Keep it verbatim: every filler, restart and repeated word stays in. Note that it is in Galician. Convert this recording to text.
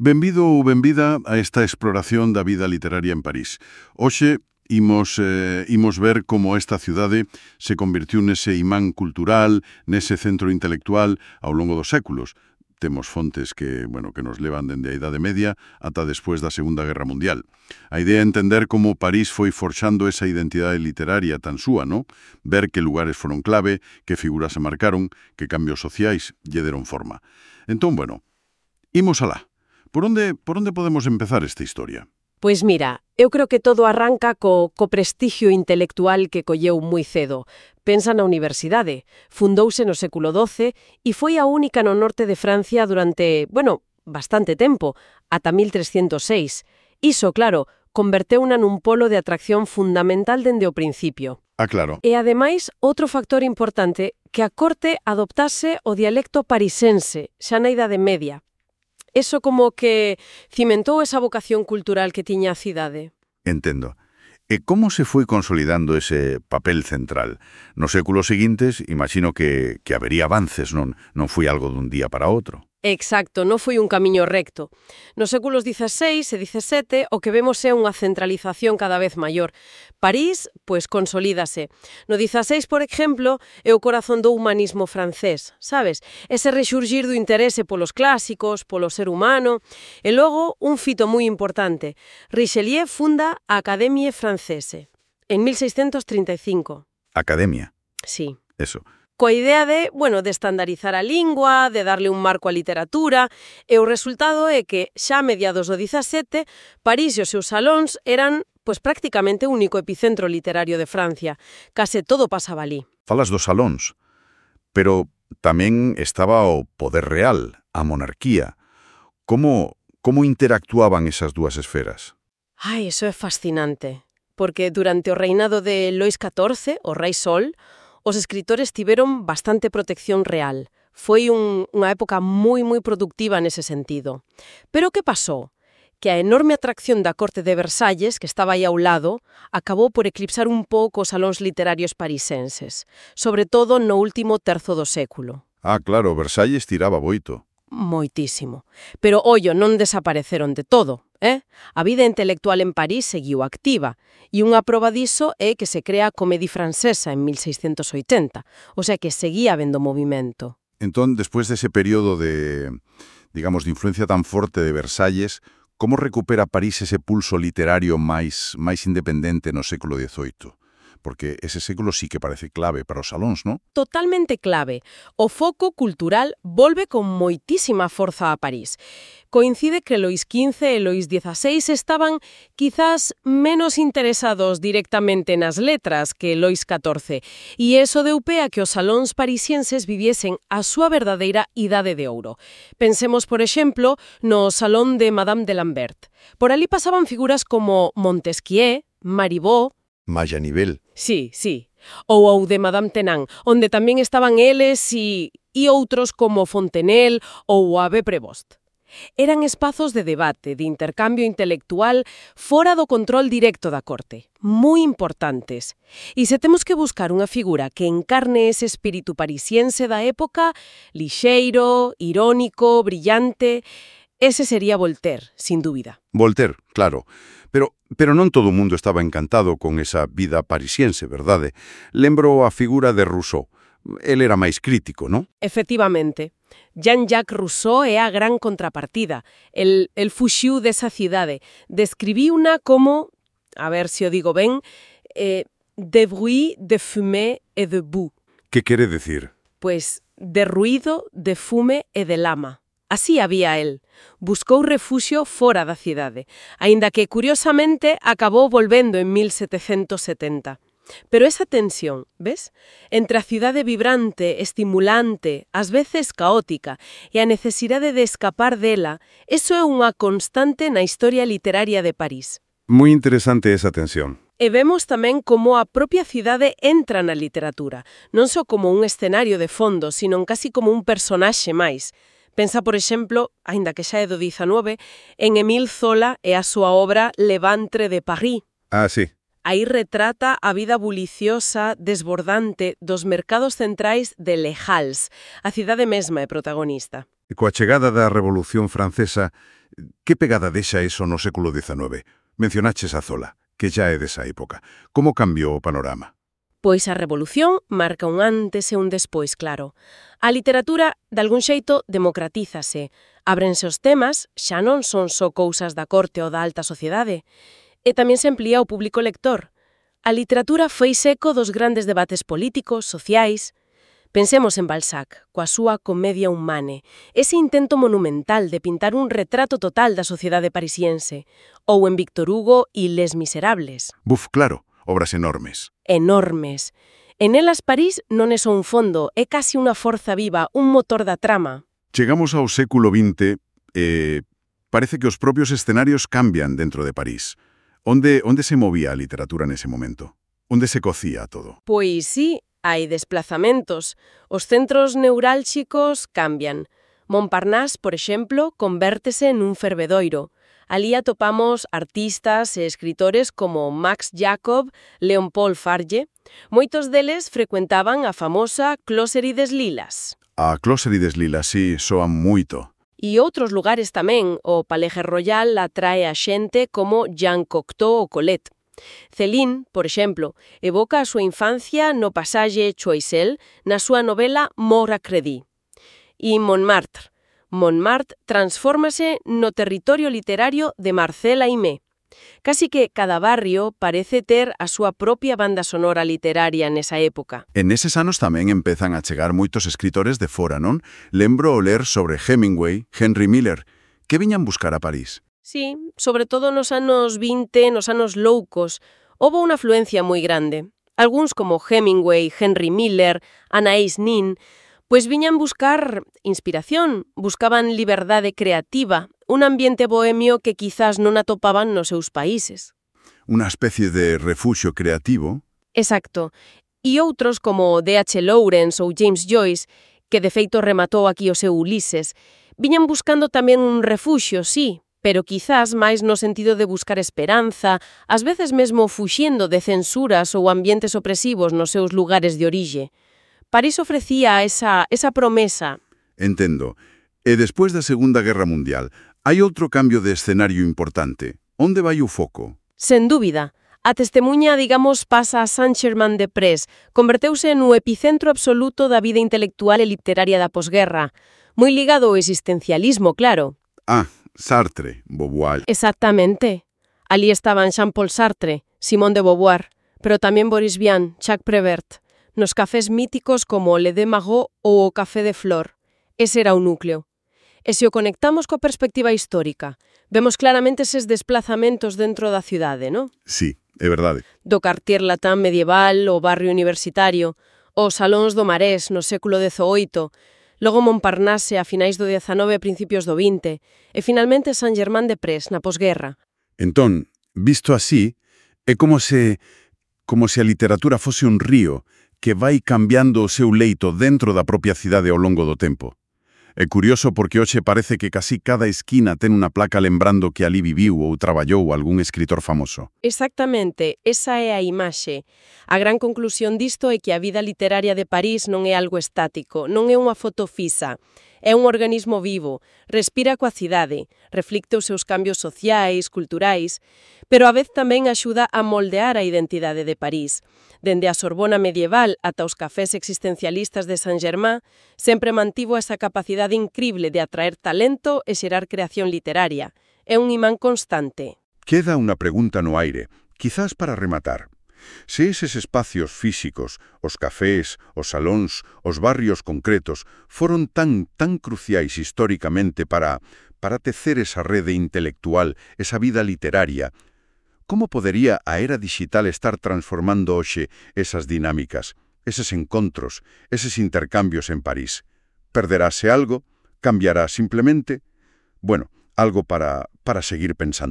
Benvido ou benvida a esta exploración da vida literaria en París. Hoxe imos, eh, imos ver como esta cidade se convirtiu nese imán cultural, nese centro intelectual ao longo dos séculos. Temos fontes que, bueno, que nos levan dende a Idade Media ata despois da Segunda Guerra Mundial. A idea é entender como París foi forxando esa identidade literaria tan súa, ¿no? Ver que lugares foron clave, que figuras se marcaron, que cambios sociais lle deron forma. Entón, bueno, imos alá. Por onde, por onde podemos empezar esta historia? Pois mira, eu creo que todo arranca co, co prestixio intelectual que colleu moi cedo. Pensa na universidade. Fundouse no século doce e foi a única no norte de Francia durante, bueno, bastante tempo, ata mil trescentos seis. Iso, claro, converteuna nun polo de atracción fundamental dende o principio. Ah, claro. E, ademais, outro factor importante, que a corte adoptase o dialecto parisense, xa na Idade Media. Eso como que cimentou esa vocación cultural que tiña a cidade. Entendo. E como se foi consolidando ese papel central? Nos séculos seguintes, imagino que, que habería avances, non, non foi algo dun día para outro. Exacto, non foi un camiño recto. Nos séculos dieciséis e diecisiete o que vemos é unha centralización cada vez maior. París, pois, consolídase. No dieciséis, por exemplo, é o corazón do humanismo francés, sabes? Ese rexurgir do interese polos clásicos, polo ser humano. E logo, un fito moi importante. Richelieu funda a Académie Française en mil seiscentos trinta e cinco. Academia. Sí. Eso. Coa idea de, bueno, de estandarizar a lingua, de darle un marco á literatura, e o resultado é que, xa a mediados do diecisiete, París e os seus salóns eran, pois, prácticamente o único epicentro literario de Francia. Case todo pasaba ali. Falas dos salóns, pero tamén estaba o poder real, a monarquía. Como, como interactuaban esas dúas esferas? Ai, iso é fascinante, porque durante o reinado de Lois catorce, o rei Sol, os escritores tiveron bastante protección real. Foi un, unha época moi, moi productiva nese sentido. Pero que pasou? Que a enorme atracción da corte de Versalles, que estaba aí ao lado, acabou por eclipsar un pouco os salóns literarios parisenses, sobre todo no último terzo do século. Ah, claro, Versalles tiraba boito. Moitísimo. Pero, ollo, non desapareceron de todo, eh? A vida intelectual en París seguiu activa, e unha proba diso é que se crea a Comédie Francesa en mil seiscentos oitenta, o sea que seguía habendo movimento. Entón, despois dese período de, digamos, de influencia tan forte de Versalles, como recupera París ese pulso literario máis, máis independente no século dezoito? Porque ese século sí que parece clave para os salóns, non? Totalmente clave. O foco cultural volve con moitísima forza a París. Coincide que Lois quince e Lois dieciséis estaban quizás menos interesados directamente nas letras que Lois catorce, e eso deu pé a que os salóns parisienses viviesen a súa verdadeira idade de ouro. Pensemos, por exemplo, no Salón de Madame de Lambert. Por ali pasaban figuras como Montesquieu, Marivaux, Maya-Nivel. Sí, sí. Ou o de Madame Tenant, onde tamén estaban eles e, e outros como Fontenelle ou o Abbé Prévost. Eran espazos de debate, de intercambio intelectual fora do control directo da corte, moi importantes. E se temos que buscar unha figura que encarne ese espírito parisiense da época, lixeiro, irónico, brillante, ese sería Voltaire, sin dúbida. Voltaire, claro. Pero, pero non todo o mundo estaba encantado con esa vida parisiense, verdade? Lembro a figura de Rousseau. El era máis crítico, non? Efectivamente. Jean-Jacques Rousseau é a gran contrapartida. El, el fuxiu desa cidade. Describiuna como, a ver se o digo ben, eh, de bruit, de fumée et de boue. Que quere decir? Pois de ruído, de fume e de lama. Así había el. Buscou refuxio fora da cidade, aínda que, curiosamente, acabou volvendo en mil setecentos setenta. Pero esa tensión, ves? Entre a cidade vibrante, estimulante, ás veces caótica, e a necesidade de escapar dela, eso é unha constante na historia literaria de París. Moi interesante esa tensión. E vemos tamén como a propia cidade entra na literatura, non só como un escenario de fondo, sino casi como un personaxe máis. Pensa, por exemplo, aínda que xa é do diecinueve, en Émile Zola e a súa obra Le Ventre de Paris. Ah, sí. Aí retrata a vida buliciosa, desbordante dos mercados centrais de Les Halles. A cidade mesma é protagonista. Coa chegada da Revolución Francesa, que pegada deixa eso no século diecinueve? Mencionaches a Zola, que xa é desa época. Como cambiou o panorama? Pois a Revolución marca un antes e un despois, claro. A literatura, de algún xeito, democratízase. Ábrense os temas, xa non son só cousas da corte ou da alta sociedade. E tamén se amplía o público lector. A literatura foi seco dos grandes debates políticos, sociais. Pensemos en Balzac, coa súa Comedia Humane, ese intento monumental de pintar un retrato total da sociedade parisiense, ou en Víctor Hugo e Les Miserables. Buf, claro, obras enormes. Enormes. En elas París non é só un fondo, é casi unha forza viva, un motor da trama. Chegamos ao século vinte e parece que os propios escenarios cambian dentro de París. Onde, onde se movía a literatura nese momento? Onde se cocía todo? Pois sí, hai desplazamentos. Os centros neurálxicos cambian. Montparnasse, por exemplo, convértese nun fervedoiro. Alí atopamos artistas e escritores como Max Jacob, Leon-Paul Farge. Moitos deles frecuentaban a famosa Closerie des Lilas. A Closerie des Lilas, sí, soan moito. E outros lugares tamén, o Palais Royal atrae a xente como Jean Cocteau ou Colette. Céline, por exemplo, evoca a súa infancia no pasaxe Choiseul na súa novela Mort à Crédit. E Montmartre. Montmartre transfórmase no territorio literario de Marcel Aimé. Casi que cada barrio parece ter a súa propia banda sonora literaria nesa época. En eses anos tamén empezan a chegar moitos escritores de fora, non? Lembro o ler sobre Hemingway, Henry Miller, que viñan buscar a París. Sí, sobre todo nos anos vinte, nos anos loucos, houbo unha afluencia moi grande. Algúns como Hemingway, Henry Miller, Anaïs Nin, pois viñan buscar inspiración, buscaban liberdade creativa, un ambiente bohemio que quizás non atopaban nos seus países. Unha especie de refuxio creativo. Exacto. E outros como D H Lawrence ou James Joyce, que de feito rematou aquí o seu Ulises, viñan buscando tamén un refuxio, sí, pero quizás máis no sentido de buscar esperanza, ás veces mesmo fuxindo de censuras ou ambientes opresivos nos seus lugares de orixe. París ofrecía esa, esa promesa. Entendo. E despois da Segunda Guerra Mundial, hai outro cambio de escenario importante. Onde vai o foco? Sen dúbida. A testemunha, digamos, pasa a Saint-Germain-des-Prés, converteuse no epicentro absoluto da vida intelectual e literaria da posguerra, moi ligado ao existencialismo, claro. Ah, Sartre, Beauvoir. Exactamente. Alí estaban Jean-Paul Sartre, Simone de Beauvoir, pero tamén Boris Vian, Jacques Prévert, nos cafés míticos como Le de Magot ou o Café de Flore. Ese era o núcleo. E se o conectamos coa perspectiva histórica, vemos claramente eses desplazamentos dentro da cidade, non? Sí, é verdade. Do Quartier Latin medieval, o barrio universitario, os salóns do Marés no século dezaoito, logo Montparnasse a finais do dezanove e principios do vinte, e finalmente Saint-Germain-des-Prés na posguerra. Entón, visto así, é como se, como se a literatura fose un río que vai cambiando o seu leito dentro da propia cidade ao longo do tempo. É curioso porque hoxe parece que casi cada esquina ten unha placa lembrando que ali viviu ou traballou algún escritor famoso. Exactamente, esa é a imaxe. A gran conclusión disto é que a vida literaria de París non é algo estático, non é unha foto fisa. É un organismo vivo, respira coa cidade, reflicte os seus cambios sociais, culturais, pero a vez tamén axuda a moldear a identidade de París. Dende a Sorbona medieval ata os cafés existencialistas de Saint-Germain, sempre mantivo esa capacidade incrible de atraer talento e xerar creación literaria. É un imán constante. Queda unha pregunta no aire, quizás para rematar. Se eses espacios físicos, os cafés, os salóns, os barrios concretos, foron tan, tan cruciais históricamente para, para tecer esa rede intelectual, esa vida literaria, como podería a era digital estar transformando hoxe esas dinámicas, eses encontros, eses intercambios en París? Perderase algo? Cambiará simplemente? Bueno, algo para, para seguir pensando.